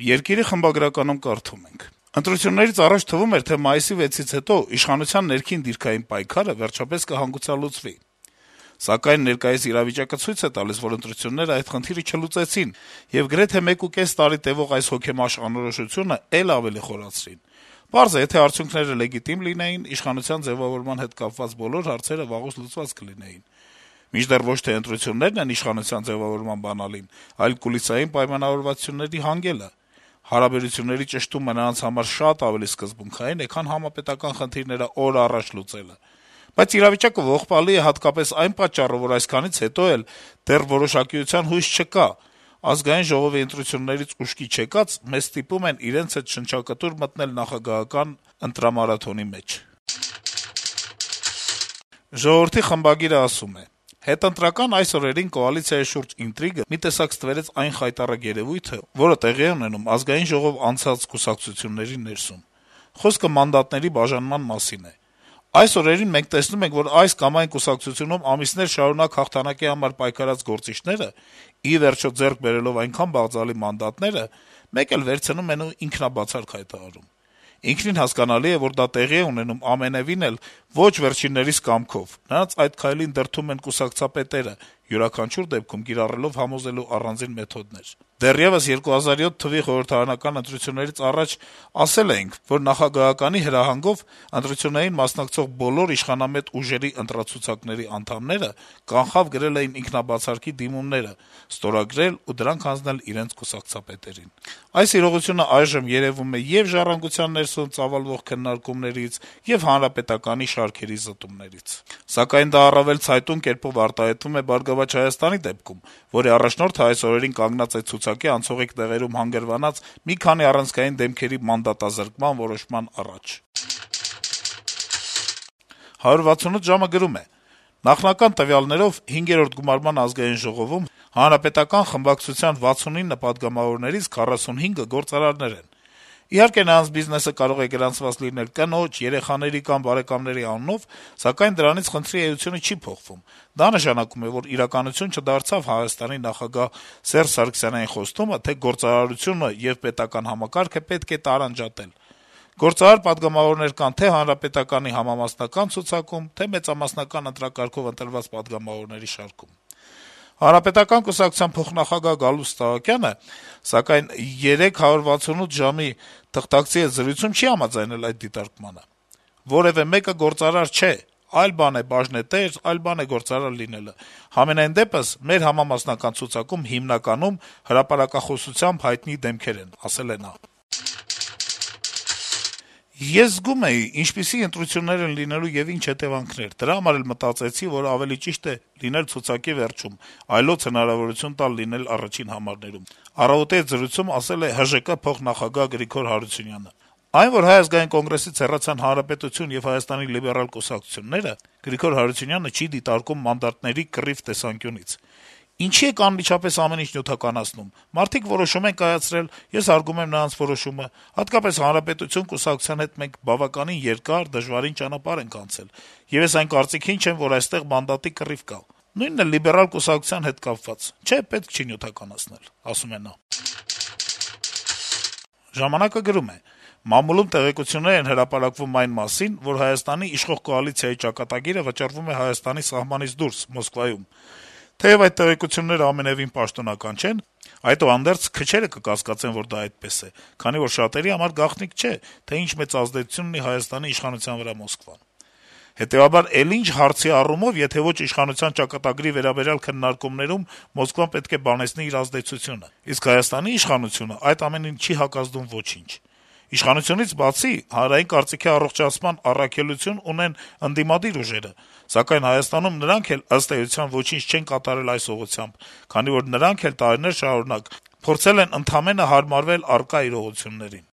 Երկիրի խմբագրականում կարդում ենք. - «Ընտրություններից առաջ թվում էր, թե մայիսի 6-ից հետո իշխանության ներքին դիրքային պայքարը վերջապես կհանգուցալուծվի: Սակայն ներկայիս իրավիճակը ցույց է տալիս, որ ընտրությունները այդ խնդիրը չլուծեցին եւ գրեթե 1.5 տարի տեւող այս հոգեմաշ անորոշությունը էլ ավելի խորացրին: Պարզ է, եթե արդյունքները լեգիտիմ լինեին, իշխանության ձեւավորման հետ կապված բոլոր հարցերը վաղուց լուծված կլինեին: Մինչդեռ ոչ թե ընտրություններն են իշխանության ձեւավորման բանալին, այլ կուլիսային պայմանավորվածությունների հանգելը: Հարաբերությունների ճշտումը նրանց համար շատ ավելի սկզբունքային է, քան համապետական խնդիրները օր առաջ լուծելը: Բայց իրավիճակը ողբալի է հատկապես այն պատճառով, որ այսքանից հետո էլ դեռ որոշակիության հույս չկա: Ազգային ժողովի ընտրություններից ուշքի չեկած մեզ ստիպում են իրենց հետ շնչակտուր մտնել նախագահական ընտրամարաթոնի մեջ»: «Ժողովուրդ»-ի խմբագիրը ասում է. - «Հետընտրական այս օրերին կոալիցիայի շուրջ ինտրիգը մի տեսակ ստվերեց այն խայտառակ երեւույթը, որը տեղի է ունենում Ազգային ժողով անցած կուսակցությունների ներսում: Խոսքը մանդատների բաժանման մասին է: Այս օրերին մենք տեսնում ենք, որ այս կամ այն կուսակցությունում ամիսներ շարունակ հաղթանակի համար պայքարած գործիչները, ի վերջո ձեռք բերելով այնքան բաղձալի մանդատները, մեկ էլ վերցնում են ու ինքնաբացարկ հայտարարում: Ինքնին հասկանալի է, որ դա տեղի է ունենում ամենեւին էլ ոչ վերջիններիս կամքով: Նրանց այդ քայլին դրդում են կուսակցապետերը, յուրաքանչյուր դեպքում կիրառելով համոզելու առանձին մեթոդներ: Դեռեւս 2007 թվականի խորհրդարանական ընտրություններից առաջ ասել էինք, որ նախագահականի հրահանգով ընտրություններին մասնակցող բոլոր իշխանամետ ուժերի ընտրացուցակների անդամները կանխավ գրել էին ինքնաբացարկի դիմումները, ստորագրել ու դրանք հանձնել իրենց կուսակցապետերին: Այս իրողությունը այժմ երեւում է ե'ւ «Ժառանգության» ներսում ծավալվող քննարկումներից, ե'ւ Հանրապետականի շարքերի զտումներից: Սակայն դա առավել ցայտուն կերպով արտահայտվում է «Բարգավաճ Հայաստան»-ի դեպքում, որի առաջնորդը այս օրերին կանգնած է ցուցակի անցողիկ տեղերում հանգրվանած մի քանի առանցքային դեմքերի մանդատազրկման որոշման առաջ»: «168 ժամ»-ը գրում է. - «Նախնական տվյալներով 5-րդ գումարման Ազգային ժողովում Հանրապետական խմբակցության 69 պատգամավորներից 45-ը գործարարներ են: Իհարկե, նրանց բիզնեսը կարող է գրանցված լինել կնոջ, երեխաների կամ բարեկամների անունով, սակայն դրանից խնդրի էությունը չի փոխվում: Դա նշանակում է, որ իրականություն չդարձավ Հայաստանի նախագահ Սերժ Սարգսյանային խոստումը, թե գործարարությունը եւ պետական համակարգը պետք է տարանջատել: Գործարար պատգամավորներ կան թե' Հանրապետականի համամասնական ցուցակում, թե' մեծամասնական ընտրակարգով ընտրված պատգամավորների շարքում: Հանրապետական կուսակցության փոխնախագահ Գալուստ Սահակյանը, սակայն, 168 ժամ»-ի թղթակցի հետ զրույցում չի համաձայնել այդ դիտարկմանը: «Որեւէ մեկը գործարար չէ: Այլ բան է բաժնետեր, այլ բան է գործարար լինելը: Համենայն դեպս, մեր համամասնական ցուցակում հիմնականում հրապարակախոսությամբ հայտնի դեմքեր են», - ասել է նա: «Ես զգում էի` ինչպիսի ընտրություններ են լինելու եւ ինչ հետեւանքներ: Դրա համար էլ մտածեցի, որ ավելի ճիշտ է լինել ցուցակի վերջում, այլոց հնարավորություն տալ լինել առաջին համարներում», - «Առավոտ»-ի հետ զրույցում ասել է ՀԺԿ փոխնախագահ Գրիգոր Հարությունյանը: Այն, որ Հայ ազգային կոնգրեսից հեռացան Հանրապետություն եւ Հայաստանի լիբերալ կուսակցությունները, Գրիգոր Հարությունյանը չի դիտարկում մանդատների կռիվ տեսանկյունից: «Ինչի եք անմիջապես ամեն ինչ նյութականացնում: Մարդիկ որոշում են կայացրել, ես հարգում եմ նրանց որոշումը: Հատկապես Հանրապետություն կուսակցության հետ մենք բավականին երկար, դժվարին ճանապարհ ենք անցել, եւ ես այն կարծիքին չեմ, որ այստեղ մանդատի կռիվ կա: Նույնն էլ լիբերալ կուսակցության հետ կապված: Չէ, պետք չի նյութականացնել», - ասում է նա: «Ժամանակ»-ը գրում է. - «Մամուլում տեղեկություններ են հրապարակվում այն մասին, որ Հայաստանի իշխող կոալիցիայի ճակատագիրը վճռվում է Հայաստանի սահմանից դուրս, Մոսկվայում: Թեեւ այդ տեղեկությունները ամենեւին պաշտոնական չեն, այդուհանդերձ քչերը կկասկածեն, որ դա այդպես է, քանի որ շատերի համար գաղտնիք չէ, թե ինչ մեծ ազդեցություն ունի Հայաստանի իշխանության վրա Մոսկվան: Հետեւաբար, էլ ինչ հարցի առումով, եթե ոչ իշխանության ճակատագրի վերաբերյալ քննարկումներում Մոսկվան պետք է բանեցնի իր ազդեցությունը: Իսկ Հայաստանի իշխանությունը այդ ամենին չի հակազդում ոչինչ: Իշխանությունից բացի, հանրային կարծիքի առողջացման առաքելություն ունեն ընդդիմադիր ուժերը, սակայն Հայաստանում նրանք էլ, ըստ էության, ոչինչ չեն կատարել այս ուղղությամբ, քանի որ նրանք էլ տարիներ շարունակ փորձել են ընդամենը հարմարվել առկա իրողություններին»: